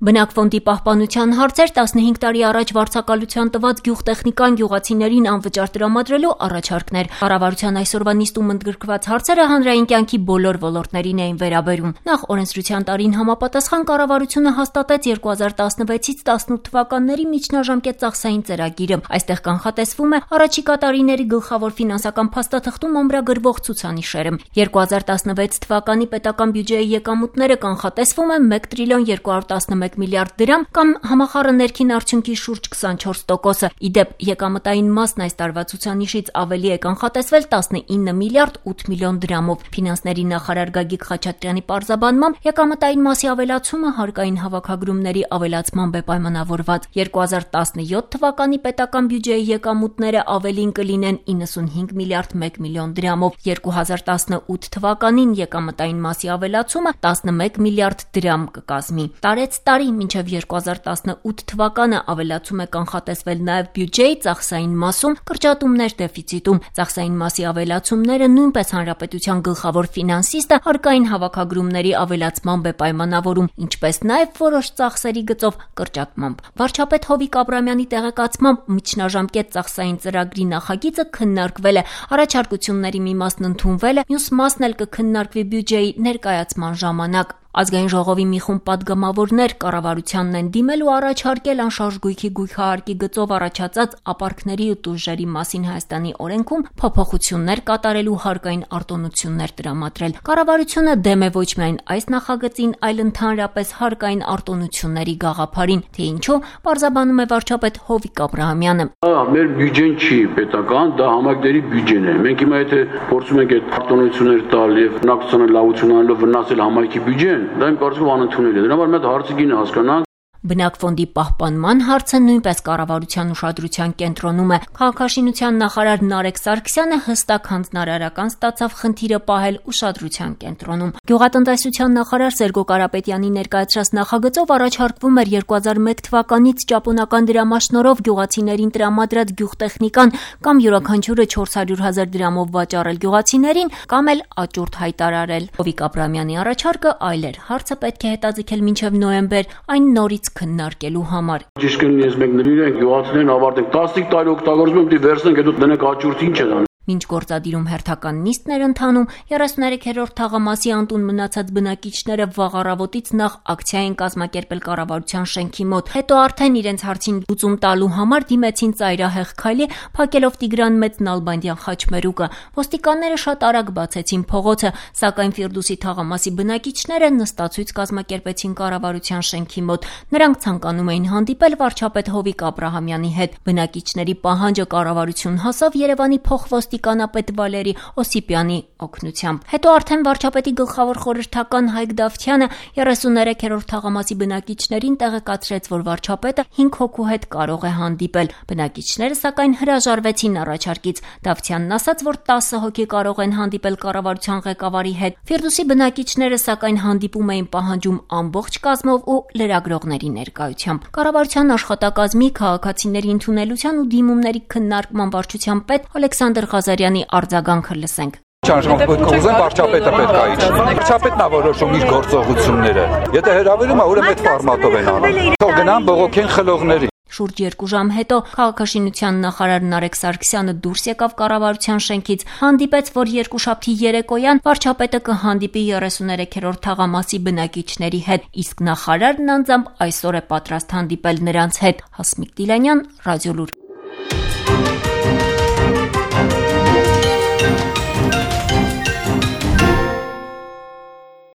Բնակֆոնդի պահպանության հարցեր 15 տարի առաջ վարձակալության տված գյուղտեխնիկան գյուղացիներին անվճար տրամադրելու առաջարկներ։ Կառավարության այսօրվա նիստում ընդգրկված հարցերը հանրային կյանքի բոլոր ոլորտներին էին վերաբերում։ Նախ օրենսդրության տարին համապատասխան կառավարությունը հաստատեց 2016-ից 18 թվականների միջնաժամկետ ծախսային ծրագիրը։ Այստեղ կանխատեսվում է առաջիկա տարիների գլխավոր ֆինանսական փաստաթղթում ամրագրվող ցուցանիշերը։ 2016 թվականի պետական բյուջեի եկամուտները կանխատեսվում է 1 տրիլիոն 211 միլիարդ դրամ կամ համախառն ներքին արդյունքի շուրջ 24%-ը։ Իդեպ եկամտային մասն այս տարվա ցուցանիշից ավելի է կանխատեսվել 19 միլիարդ 8 միլիոն դրամով։ Ֆինանսների նախարար Գագիկ Խաչատրյանի պարզաբանմամբ եկամտային մասի ավելացումը հարկային հավաքագրումների ավելացմամբ է պայմանավորված։ 2017 թվականի պետական բյուջեի եկամուտները ավելին կլինեն 95 միլիարդ 1 միլիոն դրամով։ 2018 թվականին եկամտային մասի ավելացումը 11 միլիարդ դրամ կկազմի։ Տարեց տարի մինչև 2018 թվականը ավելացում է կանխատեսվել նաև բյուջեի ծախսային մասում, կրճատումներ դեֆիցիտում։ Ծախսային մասի ավելացումները նույնպես հանրապետության գլխավոր ֆինանսիստը հարկային հավաքագրումների ավելացմամբ է պայմանավորում, ինչպես նաև որոշ ծախսերի գծով կրճատմամբ։ Վարչապետ Հովիկ Աբրամյանի տեղեկացմամբ միջնաժամկետ ծախսային ծրագրի նախագիծը քննարկվել է, առաջարկությունների մի մասն ընդունվել է, մյուս մասն էլ կքննարկվի բյուջեի ներկայացման ժամանակ։ Ազգային ժողովի մի խումբ պատգամավորներ կառավարությանն են դիմել ու առաջարկել անշարժ գույքի գույքահարկի գծով առաջացած ապարքների ու տուժերի մասին Հայաստանի օրենքում փոփոխություններ կատարելու հարկային արտոնություններ տրամադրել։ Կառավարությունը դեմ է ոչ միայն այս նախագծին, այլ ընդհանրապես հարկային արտոնությունների գաղափարին, թե ինչու, պարզաբանում է վարչապետ Հովիկ Աբրահամյանը։ Մեր բյուջեն չի պետական, դա համայնքների բյուջեն է։ Մենք հիմա եթե փորձում ենք այդ արտոնություններ տալ եւ բնակչությանը լավություն անելով վնասել համայնքի բյուջեն, դա իմ կարծիքով անընդունել է։ Դրա համար մենք հարցը գինը հասկանանք։ Բնակֆոնդի պահպանման հարցը նույնպես կառավարության ուշադրության կենտրոնում է։ Քաղաքաշինության նախարար Նարեկ Սարգսյանը հստակ հանձնարարական ստացավ խնդիրը պահել ուշադրության կենտրոնում։ Գյուղատնտեսության նախարար Սերգո Կարապետյանի ներկայացրած նախագծով առաջարկվում էր 2001 թվականից ճապոնական դրամաշնորհով գյուղացիներին տրամադրած գյուղտեխնիկան կամ յուրաքանչյուրը 400,000 դրամով վաճառել գյուղացիներին կամ էլ աճուրդ հայտարարել։ Հովիկ Աբրամյանի առաջարկը այլ էր։ Հարցը պետք է հետաձգել մինչև նոյեմբեր, այն նորից քննարկելու համար։ Ճիշտ կլինի, ես մենք նվիրենք գյուղացիներին ավարտենք 15 տարի օգտագործում ենք, վերցնենք, հետո դնենք աճուրդը, ինչ է դա։ Մինչ գործադիրում հերթական նիստներ ընթանում, 33-րդ թաղամասի անտուն մնացած բնակիչները վաղ առավոտից նախ ակցիա են կազմակերպել կառավարության շենքի մոտ, հետո արդեն իրենց հարցին լուծում տալու համար դիմեցին ծայրահեղ քայլի, փակելով Տիգրան Մեծ Նալբանդյան խաչմերուկը։ Ոստիկանները շատ արագ բացեցին փողոցը, սակայն Ֆիրդուսի թաղամասի բնակիչները նստացույց կազմակերպեցին կառավարության շենքի մոտ։ Նրանք ցանկանում էին հանդիպել վարչապետ Հովիկ Աբրահամյանի հետ։ Բնակիչների պահանջը կառավարություն հասավ Երևանի փոխոստիկանապետ Վալերի Օսիպյանի օգնությամբ։ Հետո արդեն վարչապետի գլխավոր խորհրդական Հայկ Դավթյանը 33-րդ թաղամասի բնակիչներին տեղեկացրեց, որ վարչապետը 5 հոգու հետ կարող է հանդիպել։ Բնակիչները սակայն հրաժարվեցին առաջարկից։ Դավթյանն ասաց, որ 10 հոգի կարող են հանդիպել կառավարության ղեկավարի հետ։ Ֆիրդուսի բնակիչները սակայն հանդիպում էին պահանջում ամբողջ կազմով ու լրագրողների ներկայությամբ։ Կառավարության աշխատակազմի քաղաքացիների ընդունելության ու դիմումների քննարկման վարչության պետ Ալեքսանդր Ղազարյանի արձագանքը լսենք։ Ուզեմ վարչապետը պետք է իջի։ Վարչապետն է որոշում իր գործողությունները։ Եթե հրավիրում է, ուրեմն այդ ֆորմատով են անում։ Թող գնան բողոքեն խլողներին։ Շուրջ 2 ժամ հետո քաղաքաշինության նախարար Նարեկ Սարգսյանը դուրս եկավ կառավարության շենքից, հանդիպեց, որ երկուշաբթի երեկոյան վարչապետը կհանդիպի 33-րդ թաղամասի բնակիչների հետ, իսկ նախարարն անձամբ այսօր է պատրաստ հանդիպել նրանց հետ։ Հասմիկ Դիլանյան, Ռադիոլուր։